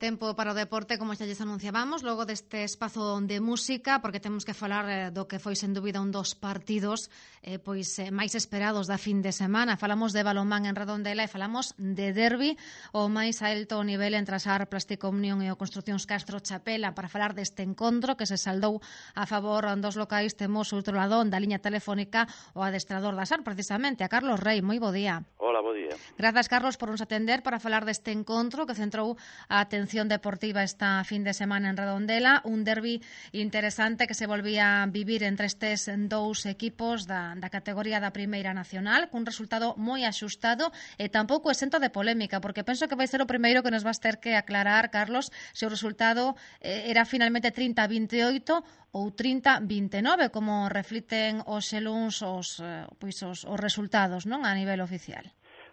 Tempo para o deporte, como xa lles anunciábamos, logo deste espazo de música, porque temos que falar do que foi, sen dúbida, un dos partidos máis esperados da fin de semana. Falamos de balonmán en Redondela e falamos de derbi, o máis alto nivel entre a SAR Plástico Unión e o Construcións Castro Chapela. Para falar deste encontro que se saldou a favor dos locais, temos outro lado da liña telefónica o adestrador da SAR, precisamente, a Carlos Rei. Moi bo día. Hola, bo día. Grazas, Carlos, por nos atender para falar deste encontro que centrou a atención deportiva esta fin de semana en Redondela, un derbi interesante que se volvía a vivir entre estes dous equipos da categoría da Primeira Nacional, cun resultado moi axustado e tampouco exento de polémica, porque penso que vai ser o primeiro que nos vas ter que aclarar, Carlos, se o resultado era finalmente 30-28 ou 30-29, como refliten os xeluns os resultados, non, a nivel oficial.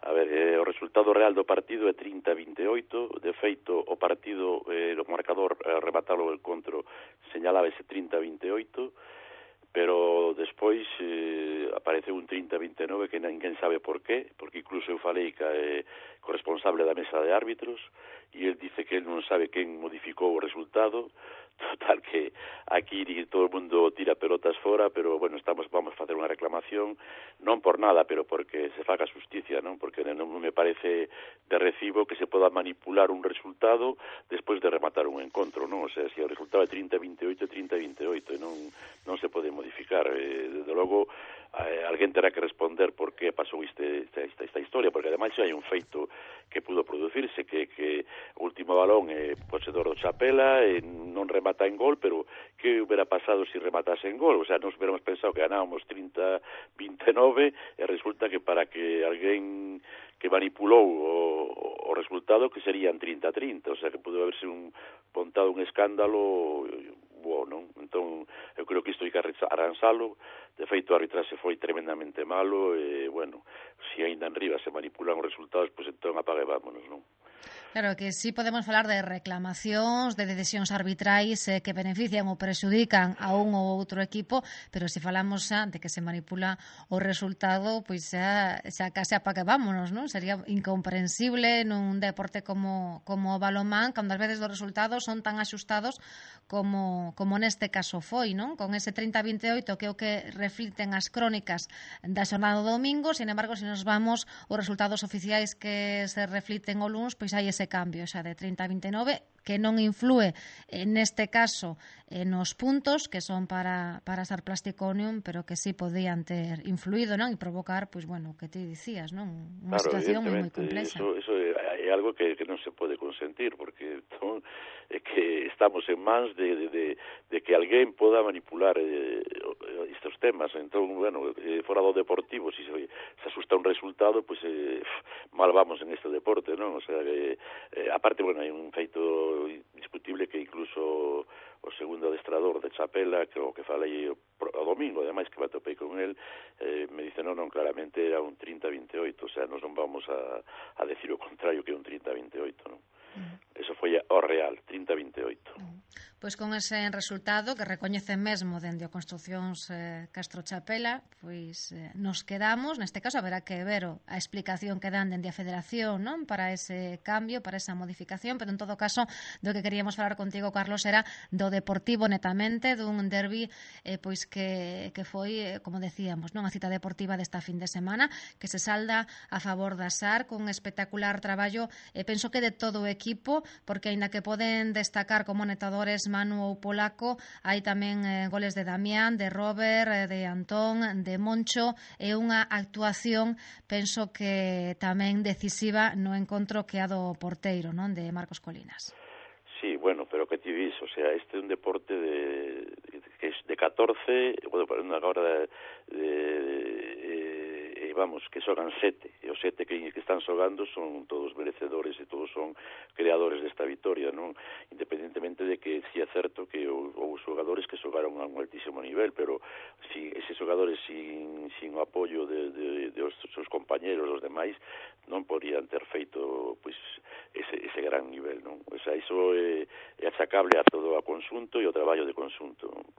A ver, o resultado real do partido é 30-28, de feito o partido, o marcador rematalo o encontro señalábase 30-28, pero despois apareceu un 30-29 que ninguén sabe por qué, porque incluso eu falei co responsable da mesa de árbitros e el dice que el non sabe quen modificou o resultado. Total que aquí todo o mundo tira pelotas fora, pero bueno, vamos a facer unha reclamación, non por nada, pero porque se faga justicia, non? Porque non me parece de recibo que se poda manipular un resultado despois de rematar un encontro, non? O sea, se o resultado é 30-28, 30-28, non se pode modificar. Desde logo, alguén terá que responder por que pasou esta historia, porque ademais hai un feito que pudo producirse, que o último balón é posedor do Chapela, non remata en gol, pero que hubiera pasado se rematase en gol? O sea, nos hubiéramos pensado que ganábamos 30-29 e resulta que para que alguén que manipulou o resultado que serían 30-30, o sea, que pudo haberse montado un escándalo non? Entón, eu creo que isto hai que arransalo. De feito, o arbitraxe foi tremendamente malo e, bueno, se ainda en riba se manipulan os resultados, pois entón apague vámonos, non? Claro, que sí podemos falar de reclamacións, de decisións arbitrais que benefician ou prexudican a un ou outro equipo, pero se falamos xa de que se manipula o resultado, pois xa case apague vámonos, non? Sería incomprensible nun deporte como o balonmán, cando ás veces os resultados son tan axustados como neste caso foi, non? Con ese 30-28 que é o que refliten as crónicas da xornada do domingo, sin embargo, se nos vamos os resultados oficiais que se refliten o luns, pois hai ese cambio xa de 30-29 que non influe neste caso nos puntos que son para SAR Plástico Unión, pero que sí podían ter influído, non? E provocar, pois bueno, o que ti dicías, non? Unha situación moi complexa. Eso é algo que non se pode consentir, porque é que estamos en mans de que alguén poda manipular estes temas. Entón, bueno, fora do deportivo, se asusta un resultado, pois mal vamos en este deporte, non? O sea, aparte, bueno, hai un feito indiscutible que incluso o segundo adestrador de Chapela, que o que falei o domingo, ademais que me atopei con el, me dice, non, claramente era un 30-28, o sea, nos non vamos a decir o contrario que un 30-28, non? Eso foi o real, 30-28. Pois con ese resultado que recoñece mesmo dende o Construcións Castro Chapela, pois nos quedamos, neste caso haberá que ver a explicación que dan dende a Federación, non? Para ese cambio, para esa modificación, pero en todo caso do que queríamos falar contigo, Carlos, era do deportivo netamente, dun derbi pois que foi, como decíamos, non, a cita deportiva desta fin de semana, que se salda a favor da SAR cun espectacular traballo, penso que de todo o equipo, porque aínda que poden destacar como netadores Manu ou Polaco, hai tamén goles de Damián, de Robert, de Antón, de Moncho, e unha actuación, penso que tamén decisiva no encontro que a do porteiro, non, de Marcos Colinas. Sí, bueno, pero que ti dis, o sea, este é un deporte que é de 14, bueno, agora vamos, que xogan 7, e os 7 que están xogando son todos merecedores e todos son creadores desta vitória, non? Independentemente de que si é certo que houve xogadores que xogaron a un altísimo nivel, pero si eses xogadores sin o apoio de os seus compañeros, os demais, non podrían ter feito pois ese gran nivel, non? O sea, iso é achacable a todo o conxunto e o traballo de conxunto, non?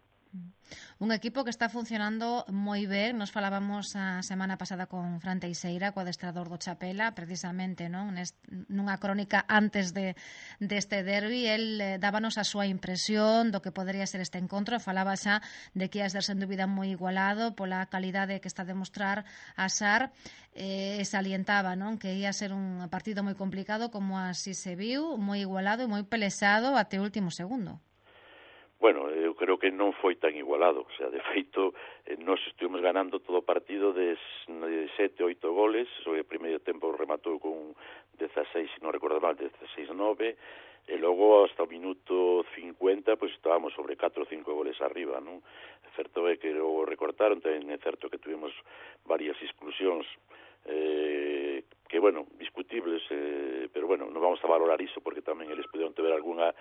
Un equipo que está funcionando moi ben. Nos falábamos a semana pasada con Fran Teixeira, co adestrador do Chapela, precisamente, non? Nunha crónica antes deste derbi, el dábanos a súa impresión do que podería ser este encontro. Falaba xa de que ia ser sen dúbida moi igualado pola calidade que está a demostrar a SAR. Salientaba, non? Que ia ser un partido moi complicado, como así se viu, moi igualado e moi pelexado até o último segundo. Bueno, eu creo que non foi tan igualado, o sea, de feito, nós estuvimos ganando todo o partido de 7, 8 goles, o primeiro tempo rematou con 16, se non recordo mal, 16-9, e logo hasta o minuto 50, pois estábamos sobre 4 ou 5 goles arriba, non? Certo é que logo recortaron, tamén é certo que tuvimos varias exclusións, que, bueno, discutibles, pero, bueno, non vamos a valorar iso porque tamén eles poderon ter algunha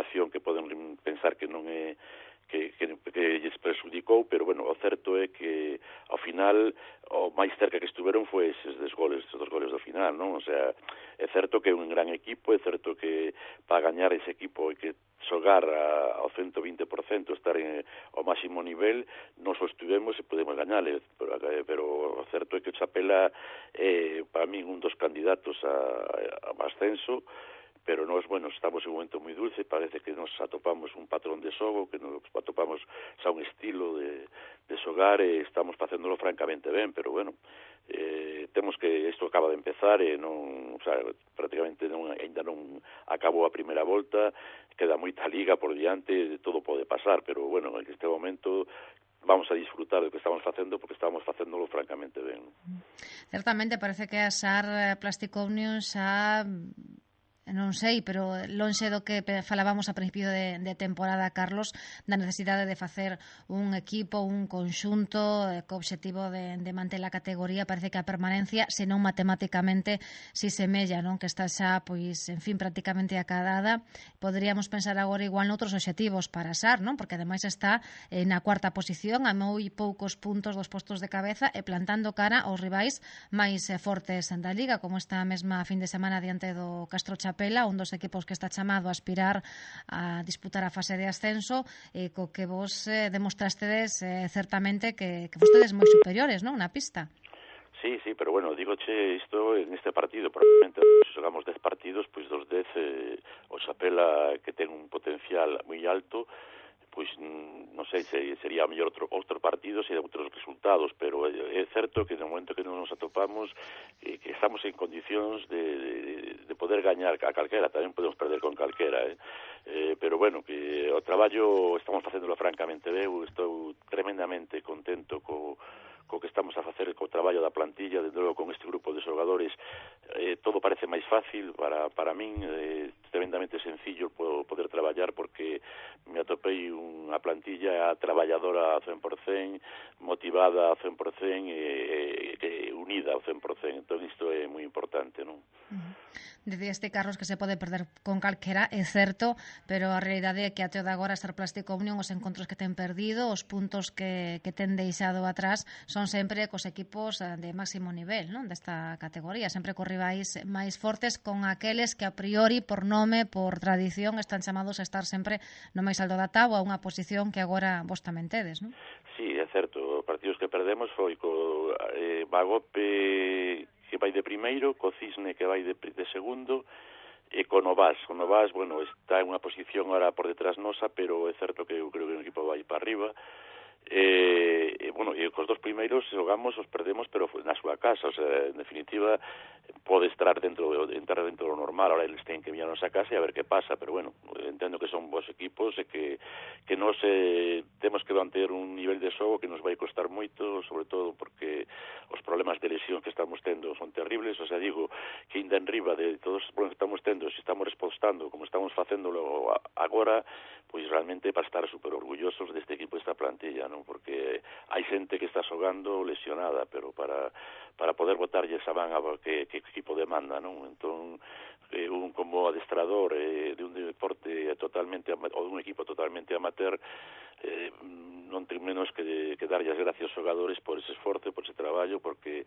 acción que poden pensar que non é que lles perxudicou, pero, bueno, o certo é que ao final o máis cerca que estuveron foi eses dos goles do final, non? O sea, é certo que é un gran equipo, é certo que para gañar ese equipo hai que xogar ao 120%, estar ao máximo nivel, nos o estuvemos e podemos gañarle, pero o certo é que o Chapela é, para mí, un dos candidatos a ascenso, pero nós, bueno, estamos en un momento moi dulce, parece que nos atopamos un patrón de xogo, que nos atopamos xa un estilo de xogar e estamos facéndolo francamente ben, pero, bueno, temos que isto acaba de empezar e non, o sea, prácticamente ainda non acabou a primeira volta, queda moita liga por diante, todo pode pasar, pero, bueno, en este momento vamos a disfrutar do que estamos facendo porque estamos facéndolo francamente ben. Certamente parece que a SAR Plastic Omnium xa non sei, pero lonxe do que falábamos a principio de temporada, Carlos, da necesidade de facer un equipo, un conxunto co obxectivo de manter a categoría. Parece que a permanencia, senón matemáticamente, si semella, non? Que está xa, pois, en fin, prácticamente acadada. Poderíamos pensar agora igual noutros obxectivos para SAR, non? Porque ademais está na cuarta posición, a moi poucos puntos dos postos de cabeza e plantando cara aos rivais máis fortes da Liga, como esta mesma fin de semana diante do Castro Chapela, un dos equipos que está chamado a aspirar a disputar a fase de ascenso, co que vos demostrastedes certamente que fostedes moi superiores, non, na pista. Sí, pero, bueno, digoche isto en este partido, probablemente se xogamos 10 partidos, pois dos 10 o Chapela, que ten un potencial moi alto, pois non sei se sería mellor outro partido se de outros resultados, pero é certo que no momento que non nos atopamos que estamos en condicións de poder gañar a calquera, tamén podemos perder con calquera, pero, bueno, que o traballo estamos facéndolo francamente ben, estou tremendamente contento co que estamos a facer co traballo da plantilla, desde logo con este grupo de xogadores, todo parece máis fácil para min, tremendamente sencillo poder traballar porque me atopei unha plantilla traballadora ao 100%, motivada ao 100% e unida ao 100%, entón isto é moi importante, non? Dicíaste, Carlos, que se pode perder con calquera, é certo, pero a realidade é que até o de agora SAR Plastic Omnium, os encontros que ten perdido, os puntos que ten deixado atrás, son sempre cos equipos de máximo nivel, non, desta categoría, sempre cos rivais máis fortes, con aqueles que a priori, por nome, por tradición, están chamados a estar sempre no máis alto da táboa, unha posición que agora vos tamén tedes, non? Sí, é certo, os partidos que perdemos foi co Bagope, que vai de primeiro, co Cisne, que vai de segundo, e co Novas. O Novas, bueno, está en unha posición ahora por detrás nosa, pero é certo que eu creo que o equipo vai para arriba. Bueno, e cos dos primeiros xogamos, os perdemos, pero na súa casa, o sea, en definitiva pode entrar dentro do normal, ahora eles teñen que vir a nosa casa e a ver que pasa, pero, bueno, entendo que son bons equipos e que nós temos que manter un nivel de xogo que nos vai costar moito, sobre todo porque os problemas de lesión que estamos tendo son terribles, o sea, digo que ainda en riba de todos os problemas que estamos tendo, se estamos respostando como estamos facéndolo agora, pois realmente para estar super orgullosos deste equipo, desta plantilla, non? Porque hai xente que está xogando lesionada, pero para poder botarlle esa man a que equipo demanda, non? Entón, un como adestrador de un deporte totalmente ou dun equipo totalmente amateur, non ten menos que darlle as gracias aos xogadores por ese esforzo, por ese traballo, porque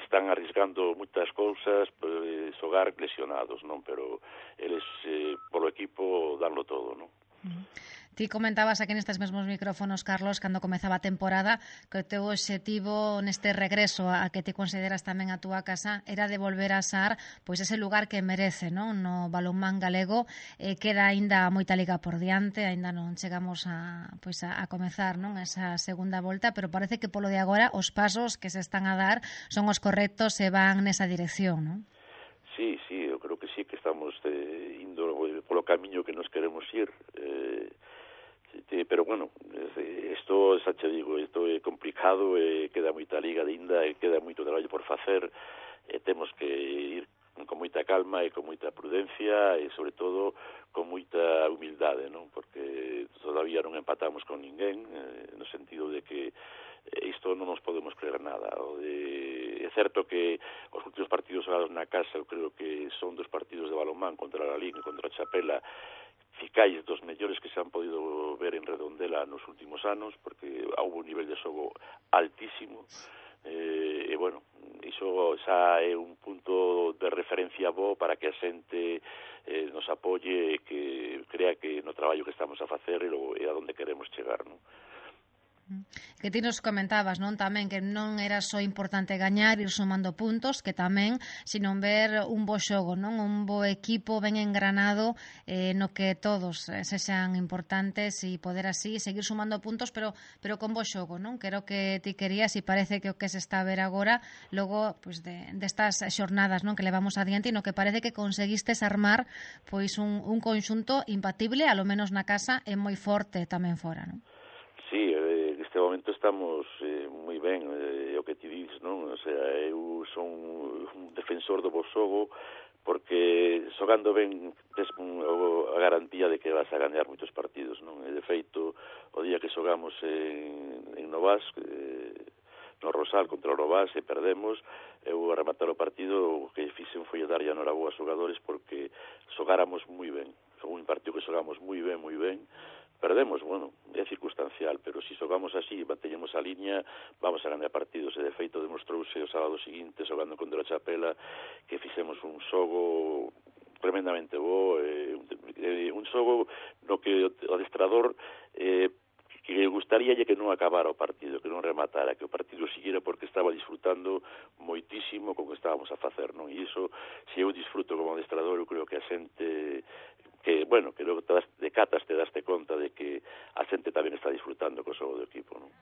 están arriscando moitas cousas, xogar lesionados, non? Pero eles, polo equipo, danlo todo, non? Ti comentabas aquí nestes mesmos micrófonos, Carlos, cando comezaba a temporada, que o teu obxectivo neste regreso a que ti consideras tamén a túa casa era de volver a Sar pois ese lugar que merece, non? No balonmán galego. Queda aínda moita liga por diante, aínda non chegamos a comezar, non, esa segunda volta, pero parece que polo de agora os pasos que se están a dar son os correctos e van nesa dirección, non? Sí, eu creo que sí, que estamos indo polo camiño que nos queremos ir. Pero bueno, isto, xa che digo, isto é complicado, queda moita liga ainda, queda moito traballo por facer, temos que ir con moita calma e con moita prudencia e, sobre todo, con moita humildade, non? Porque todavía non empatamos con ninguén, no sentido de que isto non nos podemos creer nada. É certo que os últimos partidos xogados na casa, eu creo que son dos partidos de balonmán contra a Lalín e contra a Chapela, ficais dos mellores que se han podido ver en Redondela nos últimos anos, porque houve un nivel de xogo altísimo, e bueno, iso xa é un punto de referencia bo para que a xente nos apoie e que crea que no traballo que estamos a facer e a donde queremos chegar, non? Que ti nos comentabas, non, tamén que non era só importante gañar, ir sumando puntos, que tamén, sino ver un bo xogo, non, un bo equipo ben engranado, no que todos sexan importantes e poder así seguir sumando puntos, pero con bo xogo, non, que era o que ti querías e parece que o que se está a ver agora logo pois destas xornadas, non, que levamos adiante e no que parece que conseguistes armar pois un conxunto imbatible, a lo menos na casa, e moi forte tamén fora, non? Sí, neste momento estamos moi ben, o que ti dices, non? O sea, eu son un defensor do bo xogo porque xogando ben tes a garantía de que vas a gañar moitos partidos, non? E de feito, o día que xogamos en Novas, no Rosal contra o Novas e perdemos, eu a rematar o partido o que fixen foi dar a noraboa aos xogadores porque xogáramos moi ben. Foi un partido que xogamos moi ben, perdemos, bueno, é circunstancial, pero se xogamos así, manteñemos a liña, vamos a ganar partidos, e de feito demostrouse o sábado seguinte, xogando contra a Chapela, que fixemos un xogo tremendamente bo, un xogo no que o adestrador que gustaría que non acabara o partido, que non rematara, que o partido siguiera porque estaba disfrutando moitísimo con o que estábamos a facer, non? E iso, se eu disfruto como adestrador, eu creo que a xente que, bueno, que logo de catas te daste conta de que a xente tamén está disfrutando co xogo do equipo, non?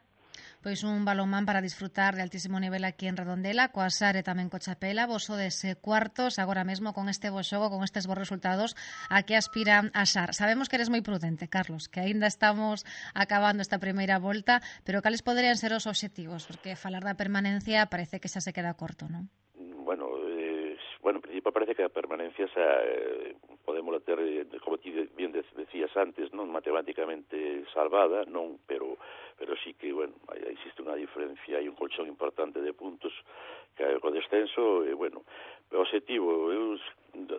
Pois un balonmán para disfrutar de altísimo nivel aquí en Redondela, coa Sar e tamén co Chapela. Vos sodes cuartos agora mesmo con este bo xogo, con estes bons resultados, a que aspira a Sar. Sabemos que eres moi prudente, Carlos, que aínda estamos acabando esta primeira volta, pero cales poderían ser os obxectivos? Porque falar da permanencia parece que xa se queda corto, non? Bueno, en principio parece que a permanencia podemos ter, como ti bien decías antes, non matemáticamente salvada, non, pero sí que, bueno, existe unha diferencia, hai un colchón importante de puntos que co descenso, e, bueno, o objetivo, eu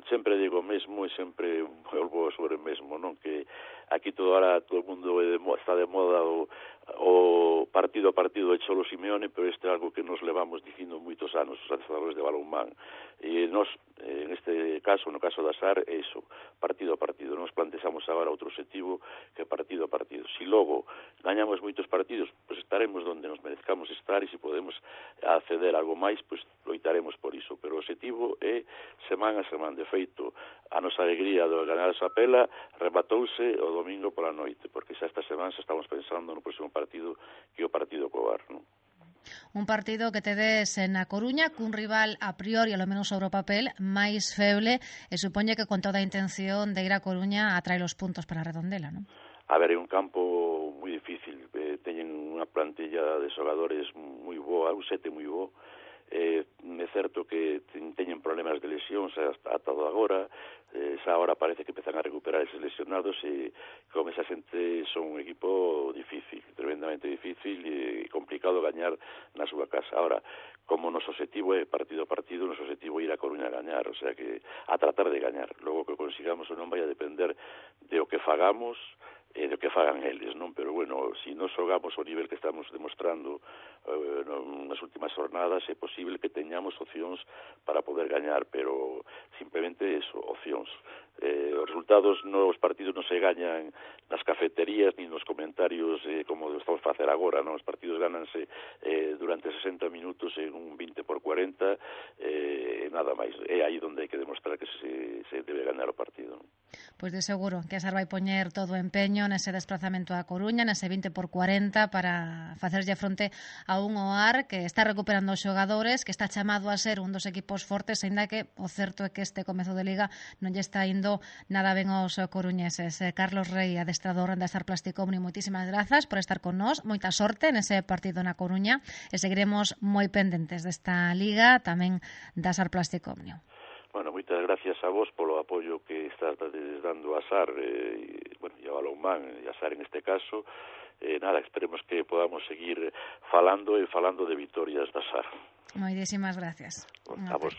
sempre digo o mesmo e sempre volvo sobre o mesmo, non, que aquí todo o mundo está de moda o partido a partido de Cholo Simeone, pero este é algo que nos levamos dicindo moitos anos, os adestradores de balonmán. E nos, en este caso, no caso da SAR, é iso, partido a partido. Nos plantexamos agora outro objetivo que partido a partido. Si logo gañamos moitos partidos, pois estaremos onde nos merezcamos estar, e se podemos acceder a algo máis, pois loitaremos por iso. Pero o objetivo é semana a semana. De feito, a nosa alegría de ganar a Chapela rematouse o domingo pola noite, porque xa esta semana xa estamos pensando no próximo partido, que é o partido co Bar, non? Un partido que tedes na Coruña cun rival a priori, ao menos sobre o papel, máis feble, e supoñe que con toda a intención de ir a Coruña a traer os puntos para a Redondela, non? A ver, é un campo moi difícil, teñen unha plantilla de xogadores moi boa, un sete moi bo, é certo que teñen problemas de lesións ata agora, xa agora parece que empezan a recuperar eses lesionados, e como esa xente son un equipo difícil, tremendamente difícil e complicado gañar na súa casa. Ahora, como noso objetivo é partido a partido, noso objetivo é ir a Coruña a gañar, o sea que a tratar de gañar. Logo que consigamos ou non vai a depender de o que fagamos do que fagan eles, non? Pero, bueno, se non xogamos ao nivel que estamos demostrando nas últimas jornadas, é posible que teñamos opcións para poder gañar, pero simplemente eso, opcións. Os resultados nos partidos non se gañan nas cafeterías ni nos comentarios como estamos a facer agora, non? Os partidos gananse durante 60 minutos en un 20-40, nada máis. É aí onde hai que demostrar que se debe ganar o partido, non? Pois de seguro que a SAR vai poñer todo o empeño nese desplazamento a Coruña, nese 20-40, para facerlle fronte a un OAR que está recuperando os xogadores, que está chamado a ser un dos equipos fortes, aínda que o certo é que este comezo de Liga non lle está indo nada ben aos coruñeses. Carlos Rey, adestrador da SAR Plástico Omnium, moitísimas grazas por estar con nós, moita sorte nese partido na Coruña e seguiremos moi pendentes desta Liga, tamén da SAR Plástico Omnium. Bueno, moitas gracias a vos polo apoio que estás dando a SAR, bueno, e a Balonmán, e a SAR en este caso. Nada, esperemos que podamos seguir falando de vitorias da SAR. Moitísimas gracias. A vos.